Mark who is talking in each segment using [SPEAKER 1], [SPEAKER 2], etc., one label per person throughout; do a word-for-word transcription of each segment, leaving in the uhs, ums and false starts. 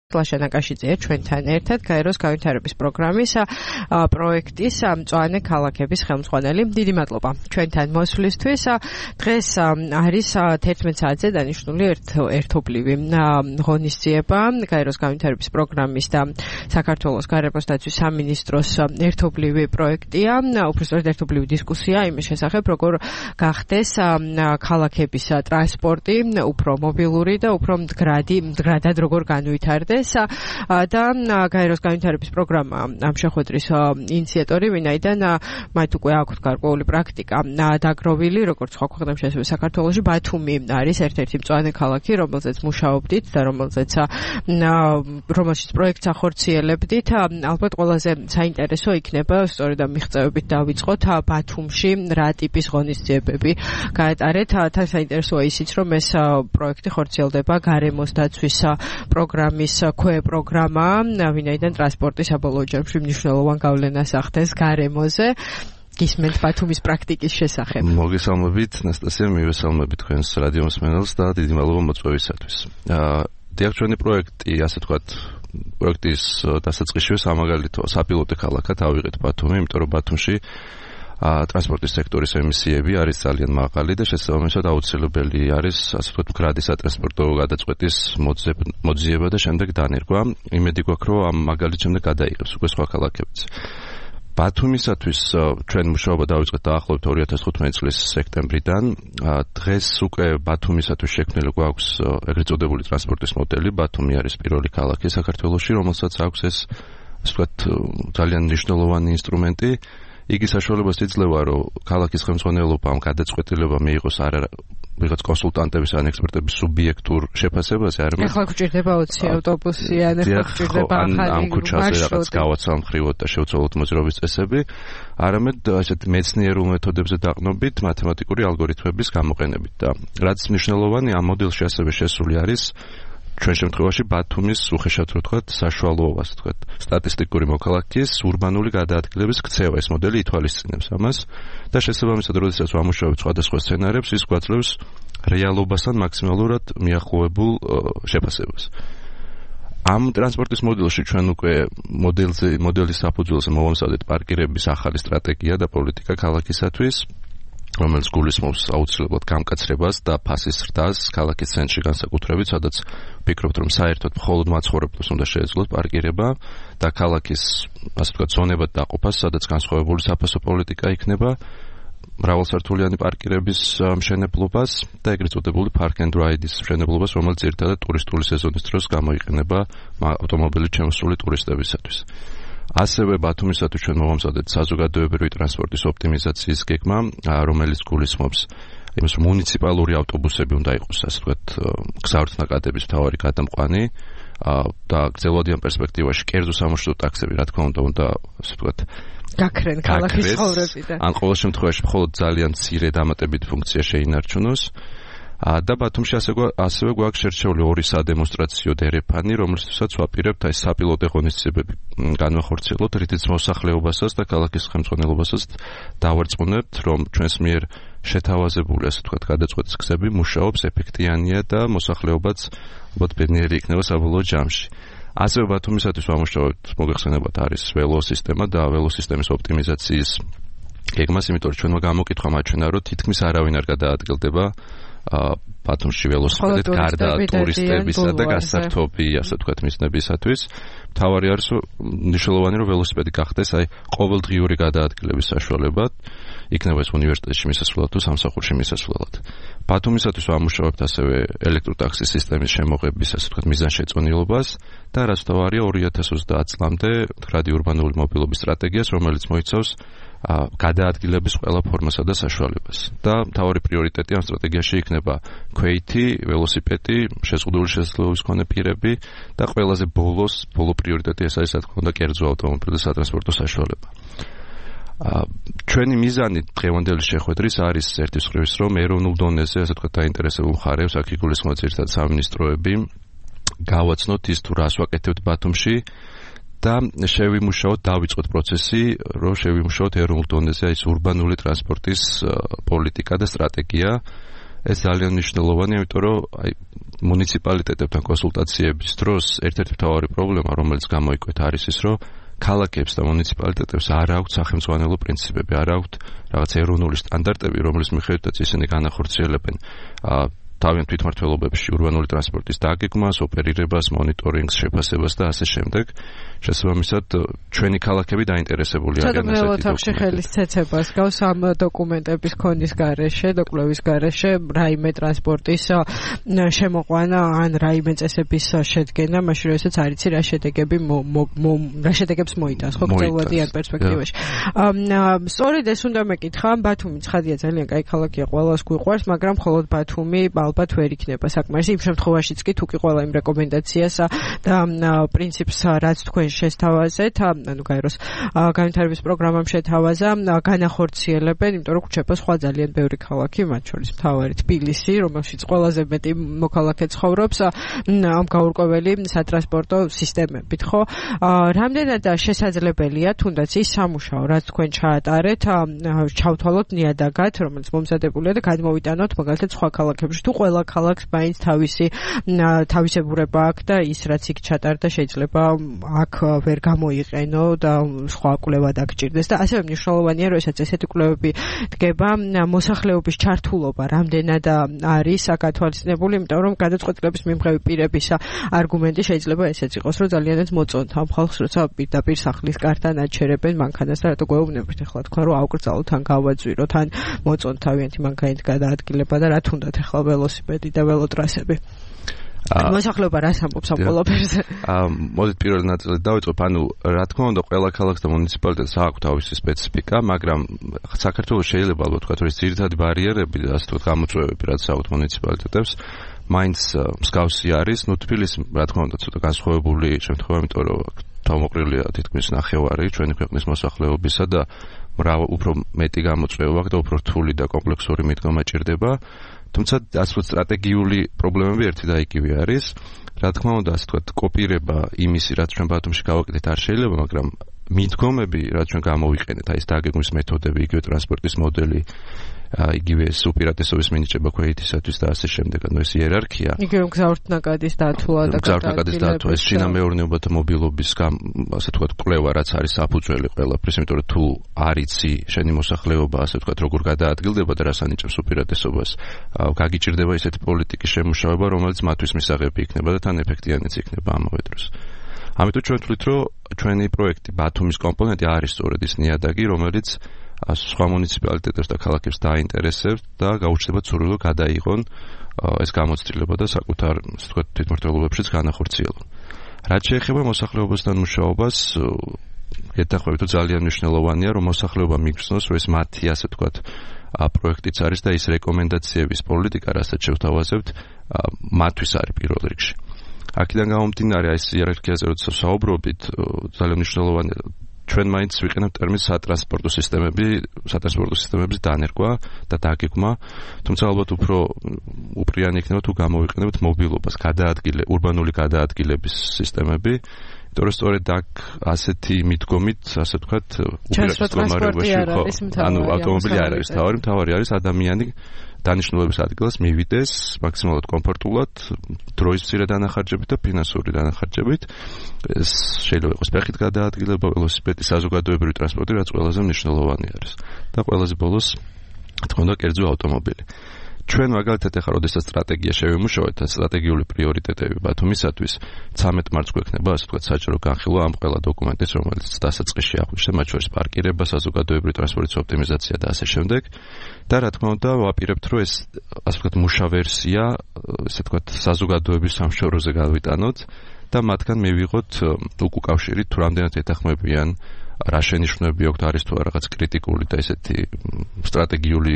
[SPEAKER 1] ლაშა ნაკაშიძეა ჩვენთან ერთად გაეროს განვითარების პროგრამის პროექტის მწვანე ქალაქების ხელმძღვანელი. დიდი მადლობა ჩვენთან მოსვლისთვის. დღეს არის თერთმეტ საათზე დანიშნული ერთობლივი ღონისძიება გაეროს განვითარების პროგრამის და საქართველოს გარემოს დაცვის სამინისტროს ერთობლივი პროექტია. უბრალოდ ერთობლივი დისკუსია იმის შესახებ, როგორ გახდეს ქალაქების ტრანსპორტი უფრო მობილური და უფრო მდგრადი, მდგრადად როგორ განვითარდეს. და გაეროს განვითარების პროგრამა ამ შეხვედრის ინიციატორი, ვინაიდან მათ უკვე აქვთ გარკვეული პრაქტიკა დაგროვილი, როგორც სხვა ქვეყნებში, ასევე საქართველოში. ბათუმი არის ერთ-ერთი მწვანე ქალაქი, რომელზეც მუშაობდით და რომელზეც რომელშიც პროექტს ახორციელებდით. ალბათ ყველაზე საინტერესო იქნება სწორედ ამ მიღწევებით დავიწყოთ ბათუმში რა ტიპის ღონისძიებები გაეტარეთ. თან საინტერესოა ისიც, რომ ეს პროექტი ხორციელდება გარემოს დაცვის პროგრამის ქვე პროგრამა, ვინაიდან ტრანსპორტი საბოლოო ჯამში მნიშვნელოვან გავლენას ახდენს გარემოზე. გისმენთ ბათუმის პრაქტიკის შესახებ.
[SPEAKER 2] მოგესალმებით, ნასტასია, მივესალმებით თქვენს რადიო მსმენელს და დიდი მადლობა მოწვევისათვის. დიახ, ჩვენი პროექტი, ასე ვთქვათ, პროექტის დასაწყისშივე სამაგალითო საპილოტო ქალაქად ავიღეთ ბათუმი, იმიტომ რომ ბათუმში ტრანსპორტის სექტორის ემისიები არის ძალიან მაღალი და შესაბამისად აუცილებელი არის, ასე ვთქვათ, მდგრადი სატრანსპორტო გადაწყვეტის მოძიება და შემდეგ დანერგვა. იმედი გვაქვს, რომ ამ მაგალითს შემდეგ გადაიღებს უკვე სხვა ქალაქებიც. ბათუმისათვის ჩვენ მუშაობა დავიწყეთ დაახლოებით ორი ათას თხუთმეტი წლის სექტემბრიდან. დღეს უკვე ბათუმისათვის შექმნილი გვაქვს ეგრეთ წოდებული ტრანსპორტის მოდელი. ბათუმი არის პირველი ქალაქი საქართველოში, რომელსაც აქვს ეს, ასე ვთქვათ, ძალიან მნიშვნელოვანი ინსტრუმენტი. იგი საშუალებას იძლევა, რომ ქალაქის ხელმძღვანელობამ გადაწყვეტილება მიიღოს არა ვიღაც კონსულტანტების ან ექსპერტების სუბიექტურ შეფასებაზე, არამედ
[SPEAKER 1] ახლა გვჭირდება ოცი ავტობუსი ან ახლა გვჭირდება ახალი
[SPEAKER 2] ამ ქუჩაზე რაღაც გავაცალმხრივოთ და შევცვალოთ მოძრაობის წესები, არამედ ასეთ მეცნიერულ მეთოდებზე დაყნობით მათემატიკური ალგორითმების გამოყენებით. და რაც მნიშვნელოვანი, ამ მოდელში ასევე შესული არის ჩვენ შემთხვევაში ბათუმის უხეშად რო ვთქვათ საშუალოებას ვთქვათ სტატისტიკური მოქალაქის ურბანული გადაადგილების ქცევა. ეს მოდელი ითვალისწინებს ამას და შესაბამისად, როდესაც ვამუშავებთ სხვადასხვა სცენარებს, ის გვაძლევს რეალობასთან მაქსიმალურად მიახლოებულ შეფასებას. ამ ტრანსპორტის მოდელში ჩვენ უკვე მოდელზე მოდელის საფუძველზე მოვამზადეთ პარკირების ახალი სტრატეგია და პოლიტიკა ქალაქისათვის, რომელიც გულისხმობს აუცილებლად გამკაცრებას და ფასის ზრდას ქალაქის ცენტრში განსაკუთრებით, სადაც ვფიქრობთ, რომ საერთოდ მხოლოდ მაცხოვრებლებს უნდა შეეძლოთ პარკირება და ქალაქის, ასე ვთქვათ, ზონებად დაყოფას, სადაც განსხვავებული საფასო პოლიტიკა იქნება, მრავალსართულიანი პარკირების მშენებლობას და ეგრეთ წოდებული park and ride-ის მშენებლობას, რომელიც ერთადად ტურისტული სეზონის დროს გამოიყენება ავტომობილით შემოსული ტურისტებისათვის. ასევე ბათუმისათვის ჩვენ მოვამზადეთ საზოგადოებრივი ტრანსპორტის ოპტიმიზაციის გეგმა, რომელიც გულისხმობს იმას, რომ მუნიციპალური ავტობუსები უნდა იყოს, ასე ვთქვათ, გზავრთნაკადების მთავარი გადამყვანი და გრძელვადიან პერსპექტივაში კერძო სამარშრუტო ტაქსები, რა თქმა უნდა, უნდა, ასე ვთქვათ,
[SPEAKER 1] გაქრენ ქალაქის ცხოვრებიდან.
[SPEAKER 2] ან ყოველ შემთხვევაში მხოლოდ ძალიან მცირე დამატებით ფუნქცია შეინარჩუნოს. და ბათუმში ასევე გვაქვს შერჩეული ორი სადემონსტრაციო დერეფანი, რომლისთვისაც ვაპირებთ აი საპილოტო ღონისძიებები განვახორციელოთ, რითიც მოსახლეობასაც და ქალაქის ხელმძღვანელობასაც დავარწმუნებთ, რომ ჩვენს მიერ შეთავაზებული, ასე ვთქვათ, გადაწყვეტის გზები მუშაობს, ეფექტიანია და მოსახლეობაც ალბათ ბედნიერი იქნება საბოლოო ჯამში. ასევე ბათუმისათვის ვამუშავებთ, მოგეხსენებათ, არის ველოსისტემა და ველოსისტემის ოპტიმიზაციის გეგმას, იმიტომ რომ ჩვენმა გამოკითხვა მაჩვენა, რომ თითქმის არავინ არ გადაადგილდება ბათუმში ველოსიპედით გარდა ტურისტებისა და გასართობი, ასე ვთქვათ, მიზნებისათვის. მთავარი არის მნიშვნელოვანი, რომ ველოსიპედი გახდეს აი ყოველდღიური გადაადგილების საშუალებად, იქნება ეს უნივერსიტეტში მისასვლელად თუ სამსახურში მისასვლელად. ბათუმისათვის ვამუშავებთ ასევე ელექტროტაქსის სისტემის შემოღების, ასე ვთქვათ, მიზანშეწონილობას და რაც თავარია ორი ათას ოცდაათ წლამდე მდგრადი ურბანული მობილობის სტრატეგიას, რომელიც მოიცავს გადაადგილების ყველა ფორმასა და საშუალებას. და მთავარი პრიორიტეტი ამ სტრატეგიაში იქნება ქვეითი, ველოსიპედი, შეზღუდული შესაძლებლობის მქონე პირები და ყველაზე ბოლოს, ბოლო პრიორიტეტი ეს არის, რა თქმა უნდა, კერძო ავტომობილი და სატრანსპორტო საშუალება. ჩვენი მიზანი დღევანდელი შეხვედრის არის ერთის მხრივ, რომ ეროვნულ დონეზე, ასე ვთქვათ, დაინტერესებულ მხარებს, აქ იგულისხმება ძირითადად სამინისტროები, გავაცნოთ ის თუ რას ვაკეთებთ ბათუმში და შევიმუშაოთ, დავიწყოთ პროცესი, რომ შევიმუშაოთ ეროვნულ დონეზე ის ურბანული ტრანსპორტის პოლიტიკა და სტრატეგია, ეს ძალიან მნიშვნელოვანია, იმიტომ რომ აი მუნიციპალიტეტებთან კონსულტაციების დროს ერთ-ერთი მთავარი პრობლემა, რომელიც გამოიკვეთა, არის ის, რომ ქალაქებს და მუნიციპალიტეტებს არ აქვთ სახელმწიფო პრინციპები, არ აქვთ რაღაც ეროვნული სტანდარტები, რომლის მიხედვითაც ისინი განახორციელებენ თავიანთ თვითმმართველობებში ურბანული ტრანსპორტის დაგეგმას, ოპერირებას, მონიტორინგს, შეფასებას და ასე შემდეგ. შესაბამისად, ჩვენი ქალაქები დაინტერესებული არიან ასეთი
[SPEAKER 1] დოკუმენტებში ხელის ცეცებას გავს ამ დოკუმენტების ქონის გარეშე, დოკუმენტების გარეშე რაიმე ტრანსპორტის შემოყვანა ან რაიმე წესების შედგენა, მაშინ როდესაც არ იცი რა შედეგები რა შედეგებს მოიტანს, ხო, გრძელვადიან პერსპექტივაში. სწორედ ეს უნდა მეკითხა, ბათუმი ცხადია ძალიან კაი ქალაქია, ყველას გვიყვარს, მაგრამ მხოლოდ ბათუმი ალბათ ვერ იქნება საკმარისი იმ შემთხვევაშიც კი თუ კი ყველა იმ რეკომენდაციას და პრინციპს რაც თქვენ შესთავაზეთ, ანუ გაეროს განვითარების პროგრამამ შეთავაზა, განახორციელებენ, იმიტომ რომ გვჩება სხვა ძალიან ბევრი ქალაქი, მათ შორის მთავარი თბილისი, რომელშიც ყველაზე მეტი მოქალაქე ცხოვრობს, ამ გაურკვეველი სატრანსპორტო სისტემებით, ხო? რამდენად შესაძლებელია თუნდაც ის სამუშაო, რაც თქვენ ჩაატარეთ, ჩავთვალოთ ნიადაგად, რომელიც მომზადებულია და გადმოვიტანოთ მაგალითად სხვა ქალაქებში თუ ყველა ქალაქს მაინც თავისი თავისებურება აქვს და ის რაც იქ ჩატარდა შეიძლება აქ ვერ გამოიყენო და სხვა კვლევა დაგჭირდეს და ასევე მნიშვნელოვანია რომ ესაც ესეთი კვლევები დგება მოსახლეობის ჩართულობა რამდენად არის გათვალისწინებული, იმიტომ რომ გადაწყვეტილების მიმღები პირების არგუმენტი შეიძლება ესეც იყოს რომ ძალიანაც მოწონთ ამ ხალხს როცა პირდაპირ სახლის კართან აჩერებენ მანქანას და რატო გვეუბნებით ახლა თქვა რომ ავკრძალოთ ან გავაძვიროთ ან მოწონთ თავიანთი მანქანით გადაადგილება და რა თუნდაც ახლა ველოსიპედი და ველოტრასები. მოსახლეობა რას ამბობს ამ ყველაფერზე? აა
[SPEAKER 2] მოდით პირველ ნაწილით დავიწყებ, ანუ რა თქმა უნდა ყველა ქალაქს და მუნიციპალიტეტს აქვს თავისი სპეციფიკა, მაგრამ საქართველოს შეიძლება ალბათ ვთქვათ, რომ ძირითადი ბარიერები და ასე ვთქვათ გამოწვევები რაც აქვს მუნიციპალიტეტებს მაინც მსგავსი არის. ნუ თბილისი რა თქმა უნდა ცოტა განსხვავებული შემთხვევა, იმიტომ რომ თავმოყრილია თითქმის ნახევარი ჩვენი ქვეყნის მოსახლეობისა და უფრო მეტი გამოწვევა აქვს და უფრო რთული და კომპლექსური მიდგომა ჭირდება. თუმცა ასე ვთქვათ სტრატეგიული პრობლემები ერთი და იგივე არის. რა თქმა უნდა, ასე ვთქვათ, კოპირება იმისი, რაც ჩვენ ბათუმში გავაკეთეთ, არ შეიძლება, მაგრამ მიდგომები, რაც ჩვენ გამოვიყენეთ, აი ეს დაგეგმვის მეთოდები, იგივე ტრანსპორტის მოდელი, იგივე უპირატესობის მინიჭება ქვეითისათვის და ასე შემდეგ, ანუ ეს იერარქია.
[SPEAKER 1] იგივე მგზავრთნაკადის დათვლა და
[SPEAKER 2] მგზავრთნაკადის დათვლა, ეს შინამეურნეობათა მობილობის ასე ვთქვათ კვლევა, რაც არის საფუძველი ყველაფრის, იმიტომ რომ თუ არ იცი შენი მოსახლეობა, ასე ვთქვათ, როგორ გადაადგილდება და რას ანიჭებს უპირატესობას, გაგიჭირდება ესეთი პოლიტიკის შემუშავება, რომელიც მათთვის მისაღები იქნება და თან ეფექტიანიც იქნება ამავე დროს. ამიტომ ჩვენ ვთვლით, რომ ჩვენი პროექტი ბათუმის კომპონენტი არის სწორედ ის ნიადაგი, რომელიც სხვა მუნიციპალიტეტებს და ქალაქებს დაინტერესებს და გაუჩნდებათ სურვილი გადაიღონ ეს გამოცდილება და საკუთარ, ასე ვთქვათ, თვითმმართველობებშიც განახორციელონ. რაც შეეხება მოსახლეობასთან მუშაობას, გეთანხმებით, რომ ძალიან მნიშვნელოვანია, რომ მოსახლეობა მიგრძნოს, რომ ეს მათი, ასე ვთქვათ, პროექტიც არის და ის რეკომენდაციების პოლიტიკა, რასაც შევთავაზებთ, მათთვის არის პირველ რიგში. აქედან გამომდინარე, ეს იერარქიაზე როცა საუბრობთ, ძალიან მნიშვნელოვანია ჩვენ მაინც ვიყენებთ ტერმინს სატრანსპორტო სისტემები, სატრანსპორტო სისტემების დანერგვა და დაგეგმა, თუმცა ალბათ უფრო უპრიანი იქნება თუ გამოვიყენებთ მობილობას, გადაადგილე, ურბანული გადაადგილების სისტემები, იმიტომ რომ სწორედ აქ ასეთი მიდგომით, ასე ვთქვათ, უპირატეს მდგომარეობაში ხო, ანუ ავტომობილი არ არის თავარი, თავარი არის ადამიანი დანიშნულების ადგილას მივიდეს მაქსიმალურად კომფორტულად, დროის მცირე დანახარჯებით და ფინანსური დანახარჯებით. ეს შეიძლება იყოს ფეხით გადაადგილება, ველოსიპედი, საზოგადოებრივი ტრანსპორტი, რაც ყველაზე მნიშვნელოვანი არის. და ყველაზე ბოლოს, თქო და კერძო ავტომობილი. ჩვენ მაგალითად ახლა როდესაც სტრატეგია შევიმუშავეთ, სტრატეგიული პრიორიტეტები ბათუმისათვის, ცამეტ მარტს გვექნება, ასე ვთქვათ, საჯარო განხილვა ამ ყველა დოკუმენტის, რომელიც დასაწყისში აღნიშნეთ, მათ შორის პარკირება, საზოგადოებრივი ტრანსპორტის ოპტიმიზაცია და ასე შემდეგ. და რა თქმა უნდა, ვაპირებთ, რომ ეს, ასე ვთქვათ, მუშა ვერსია, ასე ვთქვათ, საზოგადოების სამშობლოზე გავიტანოთ და მათგან მივიღოთ უკავშირით, თუ რამდენად ეთანხმებიან რა შენიშვნები აქვს, არის თუ რაღაც კრიტიკული და ესეთი სტრატეგიული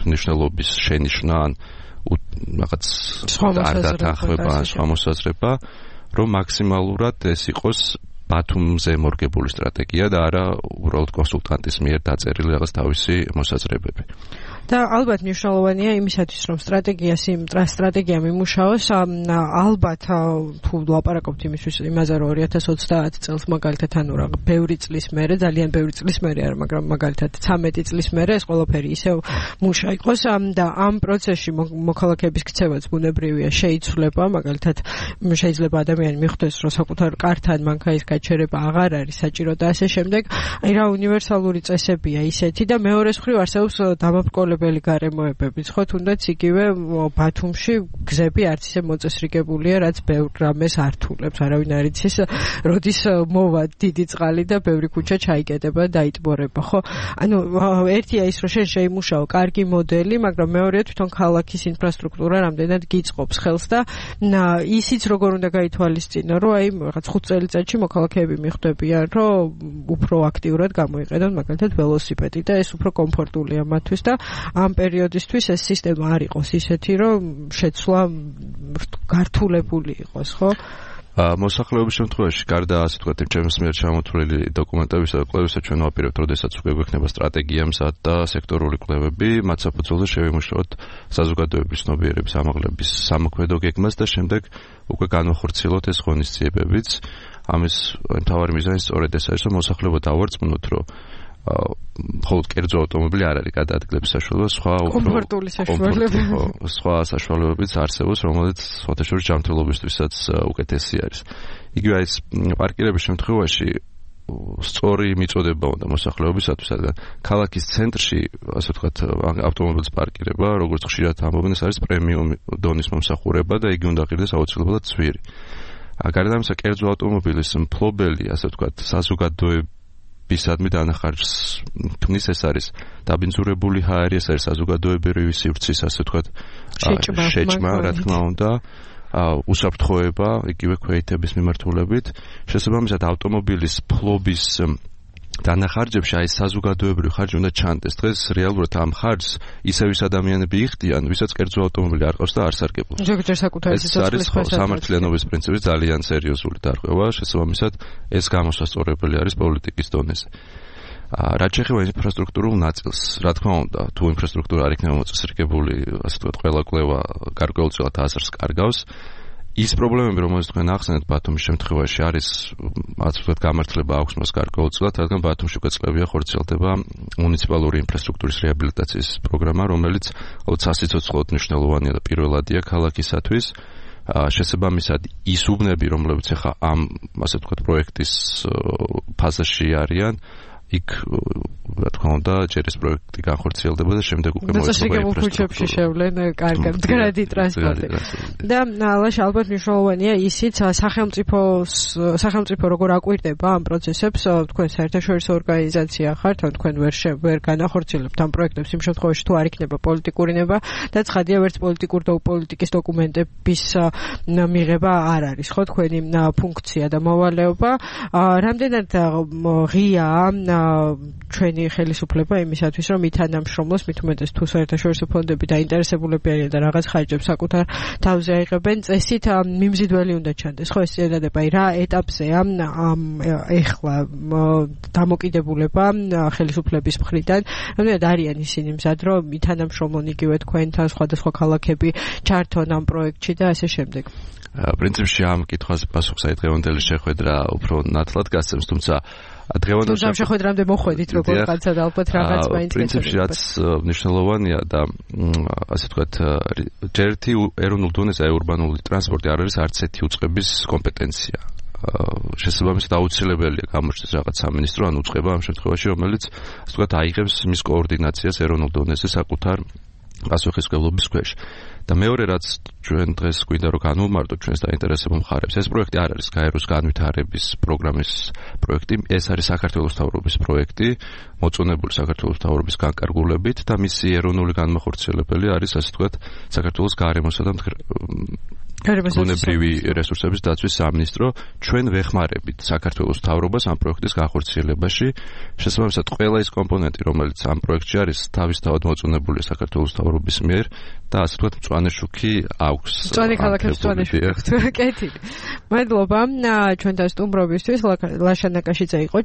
[SPEAKER 2] მნიშვნელობის შენიშვნა ან რაღაც არ დათანხმება, სხვა მოსაზრება, რომ მაქსიმალურად ეს იყოს ბათუმზე მორგებული სტრატეგია და არა უბრალოდ კონსულტანტის მიერ დაწერილი რაღაც თავისი მოსაზრებები.
[SPEAKER 1] და ალბათ მნიშვნელოვანია იმისათვის, რომ სტრატეგიას იმ სტრატეგია მიმუშაოს, ალბათ თუ ლაპარაკობთ იმისთვის იმაზე, რომ ორი ათას ოცდაათ წელს მაგალითად ანუ რა ბევრი წლის მერე, ძალიან ბევრი წლის მერე არა, მაგრამ მაგალითად ცამეტი წლის მერე ეს ყველაფერი ისევ მუშა იყოს და ამ პროცესში მოქალაქეების ქცევაც ბუნებრივია შეიცვლება, მაგალითად შეიძლება ადამიანი მიხვდეს, რომ საკუთარ კართან მანქანის გაჩერება აღარ არის საჭირო და ასე შემდეგ. აი რა უნივერსალური წესებია ისეთი და მეორეს მხრივ არსებობს დამაბრკოლებელი გარემოებებიც, ხო, თუნდაც იგივე ბათუმში გზები არც ისე მოწესრიგებულია, რაც ბევრ რამეს ართულებს. არავინ არ იცის, როდის მოვა დიდი წყალი და ბევრი ქუჩა ჩაიკეტება, დაიტბორება, ხო? ანუ ერთია ის, რომ შენ შეიმუშაო კარგი მოდელი, მაგრამ მეორეა თვითონ ქალაქის ინფრასტრუქტურა რამდენად გიწყობს ხელს და ისიც როგორ უნდა გაითვალისწინო, რომ აი რაღაც ხუთ წელიწადში მოქალაქეები მიხვდებიან, რომ უფრო აქტიურად გამოიყენონ მაგალითად ველოსიპედი და ეს უფრო კომფორტულია მათთვის და ამ პერიოდისთვის ეს სისტემა არ იყოს ისეთი, რომ შეცვლა გართულებული იყოს, ხო?
[SPEAKER 2] მოსახლეობის შემთხვევაში, გარდა ასე ვთქვათ, ჩემს მიერ ჩამოთვლილი დოკუმენტებისა და კვლევისა, ჩვენ ვაპირებთ, როდესაც უკვე გვექნება სტრატეგია მზად და სექტორული კვლევები, მათ საფუძველზე შევიმუშაოთ საზოგადოების ცნობიერების ამაღლების სამოქმედო გეგმას და შემდეგ უკვე განვახორციელოთ ეს ღონისძიებებიც. ამის მთავარი მიზანი სწორედ ეს არის, რომ მოსახლეობა დავარწმუნოთ, რომ მხოლოდ კერძო ავტომობილი არ არის გადაადგილების საშუალება, სხვა
[SPEAKER 1] კომფორტული საშუალებები,
[SPEAKER 2] სხვა საშუალებებიც არსებობს, რომელიც სხვათა შორის ჯანმრთელობისთვისაც უკეთესი არის. იგივე ეს პარკირების შემთხვევაში სწორი მიწოდება უნდა მოსახლეობისათვის, რადგან ქალაქის ცენტრში, ასე ვთქვათ, ავტომობილის პარკირება, როგორც ხშირად ამბობენ, ეს არის პრემიუმ დონის მომსახურება და იგი უნდა ღირდეს აუცილებლად ცვირი. გარდა ამისა, კერძო ავტომობილის მფლობელი, ასე ვთქვათ, საზოგადოების ბისადმი დანახარჯს ქმნის, ეს არის დაბინძურებული ჰაერი, ეს არის საზოგადოებრივი სივრცის, ასე ვთქვათ, შეჭმა, რა თქმა უნდა, უსაფრთხოება, იგივე ქვეითების მიმართულებით. შესაბამისად, ავტომობილის ფლობის დანახარჯებში აი საზოგადოებრივი ხარჯი უნდა ჩანდეს. დღეს რეალურად ამ ხარჯს ისევ ის ადამიანები იხდიან, ვისაც კერძო ავტომობილი არ ყავს და არ სარგებლობს.
[SPEAKER 1] ზოგჯერ საკუთარი სიცოცხლის
[SPEAKER 2] შესაძლებლობა სამართლიანობის პრინციპის ძალიან სერიოზული დარღვევა, შესაბამისად ეს გამოსასწორებელი არის პოლიტიკის დონეზე. რაც შეეხება ინფრასტრუქტურულ ნაწილს, რა თქმა უნდა, თუ ინფრასტრუქტურა არ იქნება მოწესრიგებული, ასე ვთქვათ, ყველა კვლევა გარკვეულწილად აზრს კარგავს. ის პრობლემები, რომელსაც თქვენ ახსენეთ ბათუმის შემთხვევაში, არის, ასე ვთქვათ, გამართლება აქვს მას გარკვეულწილად, რადგან ბათუმში უკვე წლებია ხორციელდება მუნიციპალური ინფრასტრუქტურის რეაბილიტაციის პროგრამა, რომელიც საციცოცხლოდ მნიშვნელოვანია და პირველადია ქალაქისათვის. შესაბამისად, ის უბნები, რომლებიც ახლა ამ, ასე ვთქვათ, პროექტის ფაზაში არიან, იქ რა თქმა უნდა, ჯერ ეს პროექტი განხორციელდება და შემდეგ უკვე
[SPEAKER 1] მოეწყობა ინფრასტრუქტურა. შევლენ კარგად მდგრადი ტრანსპორტი. და ალაშ ალბათ მნიშვნელოვანია ისიც, სახელმწიფოს სახელმწიფო როგორ აკვირდება ამ პროცესებს, თქვენ საერთაშორისო ორგანიზაცია ხართ, ან თქვენ ვერ ვერ განახორციელებთ ამ პროექტებს იმ შემთხვევაში, თუ არ იქნება პოლიტიკური ნება და ცხადია, ვერც პოლიტიკურ და პოლიტიკის დოკუმენტების მიღება არ არის, ხო, თქვენი ფუნქცია და მოვალეობა. რამდენად ღიაა ჩვენი ხელისუფლება იმისათვის, რომ ითანამშრომლოს, მით უმეტეს თუ საერთაშორისო ფონდები დაინტერესებულები არიან და რაღაც ხარჯებს საკუთარ თავზე აიღებენ, წესით მიმზიდველი უნდა ჩანდეს. ხო, ეს წინადადება რა ეტაპზეა ეხლა დამოკიდებულება ხელისუფლების მხრიდან, რამდენად არიან ისინი მზად, რომ ითანამშრომლონ იგივე თქვენთან სხვადასხვა ქალაქები ჩართონ ამ პროექტში და ასე შემდეგ.
[SPEAKER 2] პრინციპში ამ კითხვაზე პასუხს აი დღევანდელი შეხვედრა უფრო ნათლად გასცემს, თუმცა დღევანდელ
[SPEAKER 1] შეხვედრამდე მოხვედით როგორ კაცსა და ალბათ რაღაც მაინც
[SPEAKER 2] პრინციპში რაც მნიშვნელოვანია და ასე ვთქვათ, ჯერთი ეროვნულ დონეზე აი ურბანული ტრანსპორტი არ არის არც ერთი უწყების კომპეტენცია. შესაბამისად აუცილებელია გამოჩნდეს რაღაც სამინისტრო ან უწყება ამ შემთხვევაში, რომელიც ასე ვთქვათ აიღებს მის კოორდინაციას ეროვნულ დონეზე საკუთარ პასუხისმგებლობის ქვეშ. და მეორე რაც ჩვენ დღეს გვინდა რომ განვმარტოთ ჩვენს დაინტერესებულ მხარებს, ეს პროექტი არ არის გაეროს განვითარების პროგრამის პროექტი, ეს არის საქართველოს მთავრობის პროექტი, მოწონებული საქართველოს მთავრობის განკარგულებით და მისი ეროვნული განმახორციელებელი არის, ასე ვთქვათ, საქართველოს გარემოსა და ბუნებრივი რესურსების დაცვის სამინისტრო. ჩვენ ვეხმარებით საქართველოს მთავრობას ამ პროექტის განხორციელებაში. შესაბამისად, ყველა ის კომპონენტი, რომელიც ამ პროექტში არის, თავისთავად მოწონებულია საქართველოს მთავრობის მიერ და ასე ვთქვათ, მწვანე შუქი აქვს.
[SPEAKER 1] მწვანე ქალაქებს მწვანე შუქი. კეთილი. მადლობა ჩვენთან სტუმრობისთვის. ლაშა ნაკაშიძე იყო